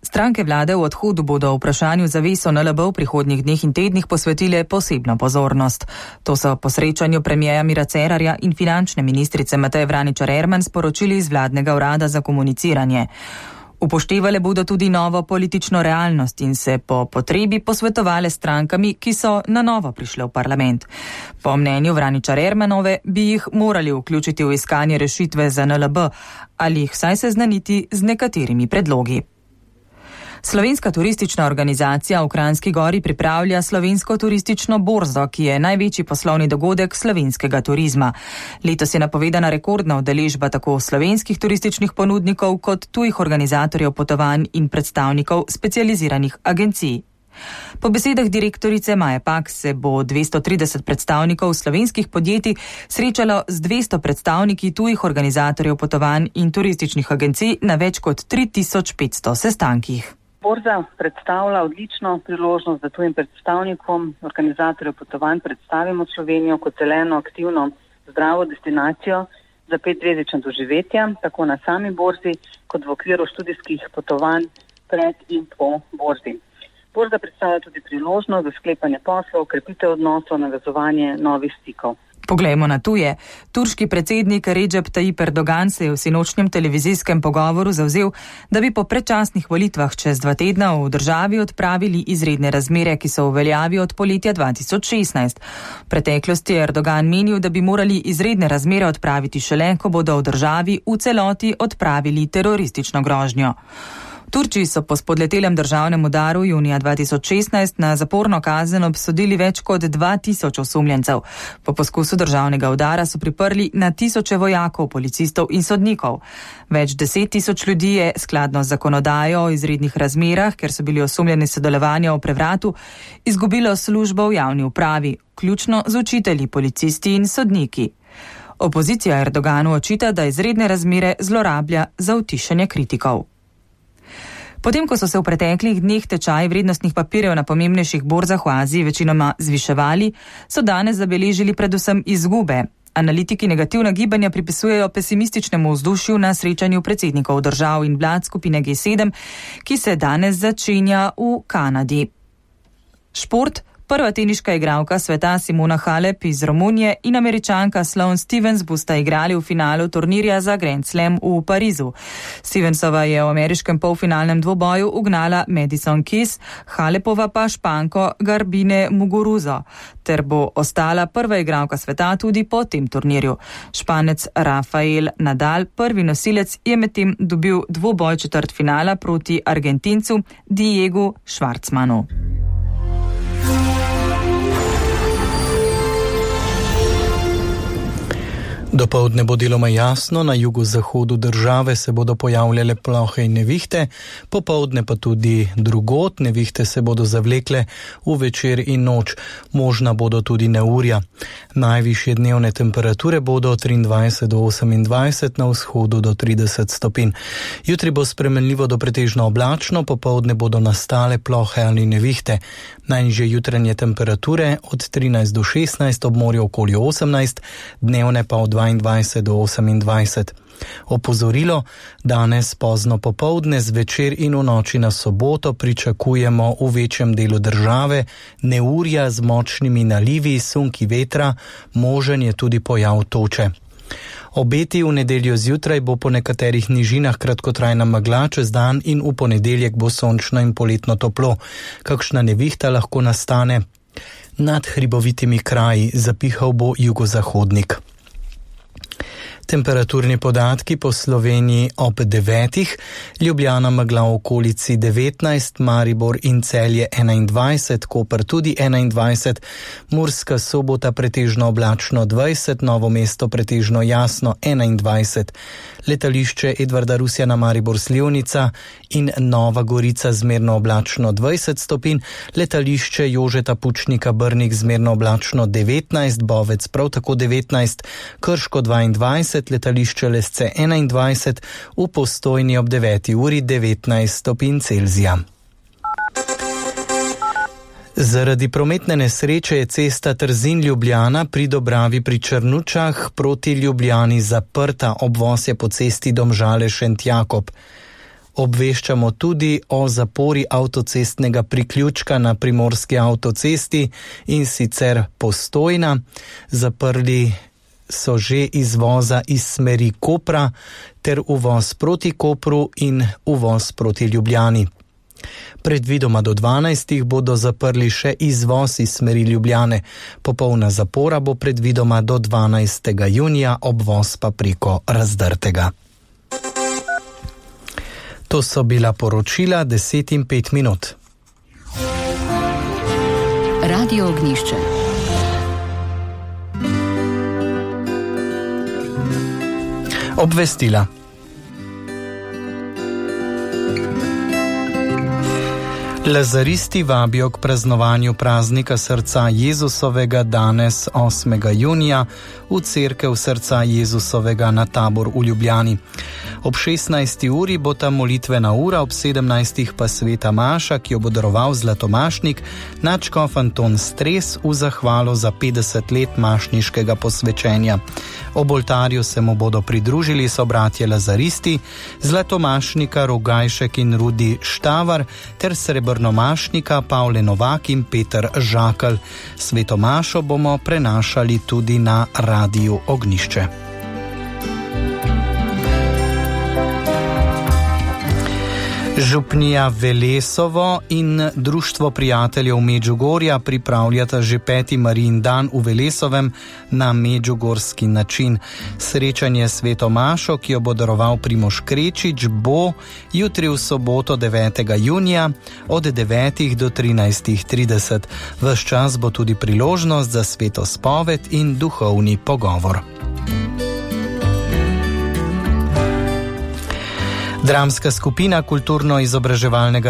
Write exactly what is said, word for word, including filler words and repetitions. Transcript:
Stranke vlade v odhodu bodo o vprašanju zaves o en el be v prihodnjih dneh in tednih posvetile posebno pozornost. To so po srečanju premijeja Mira Cerarja in finančne ministrice Mateje Vraničar Erman sporočili iz vladnega urada za komuniciranje. Upoštevale bodo tudi novo politično realnost in se po potrebi posvetovale strankami, ki so na novo prišle v parlament. Po mnenju Vraničar Ermanove bi jih morali vključiti v iskanje rešitve za en el be ali jih vsaj seznaniti z nekaterimi predlogi. Slovenska turistična organizacija v Kranjski Gori pripravlja slovensko turistično borzo, ki je največji poslovni dogodek slovenskega turizma. Letos je napovedana rekordna udeležba tako slovenskih turističnih ponudnikov kot tujih organizatorjev potovanj in predstavnikov specializiranih agencij. Po besedah direktorice Maje Pak se bo dvesto trideset predstavnikov slovenskih podjetij srečalo z dvesto predstavniki tujih organizatorjev potovanj in turističnih agencij na več kot tri tisoč petsto sestankih. Borza predstavlja odlično priložnost, da tujim predstavnikom organizatorjev potovanj predstavimo Slovenijo kot zeleno, aktivno, zdravo destinacijo za petzvezdična doživetja, tako na sami borzi kot v okviru študijskih potovanj pred in po borzi. Borza predstavlja tudi priložnost za sklepanje poslov, krepitev odnosov, navezovanje novih stikov. Poglejmo na tuje. Turški predsednik Recep Tayyip Erdogan se je v sinočnjem televizijskem pogovoru zavzel, da bi po predčasnih volitvah čez dva tedna v državi odpravili izredne razmere, ki so v veljavi od poletja dva tisoč šestnajst. V preteklosti je Erdogan menil, da bi morali izredne razmere odpraviti šele, ko bodo v državi v celoti odpravili teroristično grožnjo. Turčiji so po spodletelem državnem udaru junija dva tisoč šestnajst na zaporno kazen obsodili več kot dva tisoč osumljencev. Po poskusu državnega udara so priprli na tisoče vojakov, policistov in sodnikov. Več deset tisoč ljudi je skladno z zakonodajo o izrednih razmerah, ker so bili osumljeni sodelovanja v prevratu, izgubilo službo v javni upravi, vključno z učitelji, policisti in sodniki. Opozicija Erdoganu očita, da izredne razmere zlorablja za utišanje kritikov. Potem, ko so se v preteklih dneh tečaji vrednostnih papirjev na pomembnejših borzah v Aziji večinoma zviševali, so danes zabeležili predvsem izgube. Analitiki negativna gibanja pripisujejo pesimističnemu vzdušju na srečanju predsednikov držav in vlad skupine G sedem, ki se danes začenja v Kanadi. Šport. Prva teniška igralka sveta Simona Halep iz Romunije in Američanka Sloane Stevens bosta igrali v finalu turnirja za Grand Slam v Parizu. Stevensova je v ameriškem polfinalnem dvoboju ugnala Madison Keys, Halepova pa Španko Garbine Muguruzo, ter bo ostala prva igralka sveta tudi po tem turnirju. Španec Rafael Nadal, prvi nosilec, je medtem dobil dvoboj četrtfinala proti Argentincu Diegu Schwartzmanu. Dopoldne bo deloma jasno, na jugozahodu države se bodo pojavljale plohe in nevihte, popoldne pa tudi drugod, nevihte se bodo zavlekle v večer in noč, možna bodo tudi neurja. Najvišje dnevne temperature bodo od triindvajset do osemindvajset, na vzhodu do trideset stopinj. Jutri bo spremenljivo do pretežno oblačno, popoldne bodo nastale plohe ali nevihte. Najnižje jutranje temperature od trinajst do šestnajst, ob morju okoli osemnajst, dnevne pa od dvaindvajset do osemindvajset. Opozorilo, danes pozno popoldne, zvečer in v noči na soboto pričakujemo v večjem delu države neurja z močnimi nalivi, sunki vetra, možen je tudi pojav toče. Obeti v nedeljo zjutraj bo po nekaterih nižinah kratkotrajna megla, čez dan in v ponedeljek bo sončno in poletno toplo. Kakšna nevihta lahko nastane nad hribovitimi kraji, zapihal bo jugozahodnik. Temperaturni podatki po Sloveniji ob devetih, Ljubljana megla v okolici devetnajst, Maribor in Celje enaindvajset, Koper tudi enaindvajset, Murska Sobota pretežno oblačno dvajset, Novo mesto pretežno jasno enaindvajset, letališče Edvarda Rusjana Maribor Slivnica in Nova Gorica zmerno oblačno dvajset stopinj, letališče Jožeta Pučnika Brnik zmerno oblačno devetnajst, Bovec prav tako devetnajst, Krško dvaindvajset, letališče Lesce enaindvajset, v Postojni ob deveti uri devetnajst stopinj Celzija. Zaradi prometne nesreče je cesta Trzin-Ljubljana pri Dobravi pri Črnučah proti Ljubljani zaprta, obvoz je po cesti Domžale-Šentjakob. Obveščamo tudi o zapori avtocestnega priključka na primorski avtocesti, in sicer Postojna. Zaprli so že izvoza iz smeri Kopra ter uvoz proti Kopru in uvoz proti Ljubljani. Predvidoma do dvanajstih bodo zaprli še izvoz iz smeri Ljubljane. Popolna zapora bo predvidoma do dvanajstega junija, obvoz pa preko Razdrtega. To so bila poročila deset in pet minut. Radio Ognjišče. Obvestila. Lazaristi vabijo k praznovanju praznika srca Jezusovega danes osmega junija v cerkev srca Jezusovega na Tabor v Ljubljani. Ob šestnajsti uri bo ta molitvena ura, ob sedemnajstih pa sveta maša, ki jo bo daroval zlatomašnik nadškof Anton Stres v zahvalo za petdeset let mašniškega posvečenja. Ob oltarju se mu bodo pridružili sobratje lazaristi, zlatomašnika Rogajšek in Rudi Štavar ter srebrnomašnika Pavle Novak in Peter Žakelj. Sveto mašo bomo prenašali tudi na Radiu Ognjišče. Župnija Velesovo in Društvo prijateljev Medžugorja pripravljata že peti Marijin dan v Velesovem na medžugorski način. Srečanje sveto mašo, ki jo bo daroval Primož Krečič, bo jutri v soboto devetega junija od devetih do trinajstih trideset. Ves čas bo tudi priložnost za sveto spoved in duhovni pogovor. Dramska skupina kulturno-izobraževalnega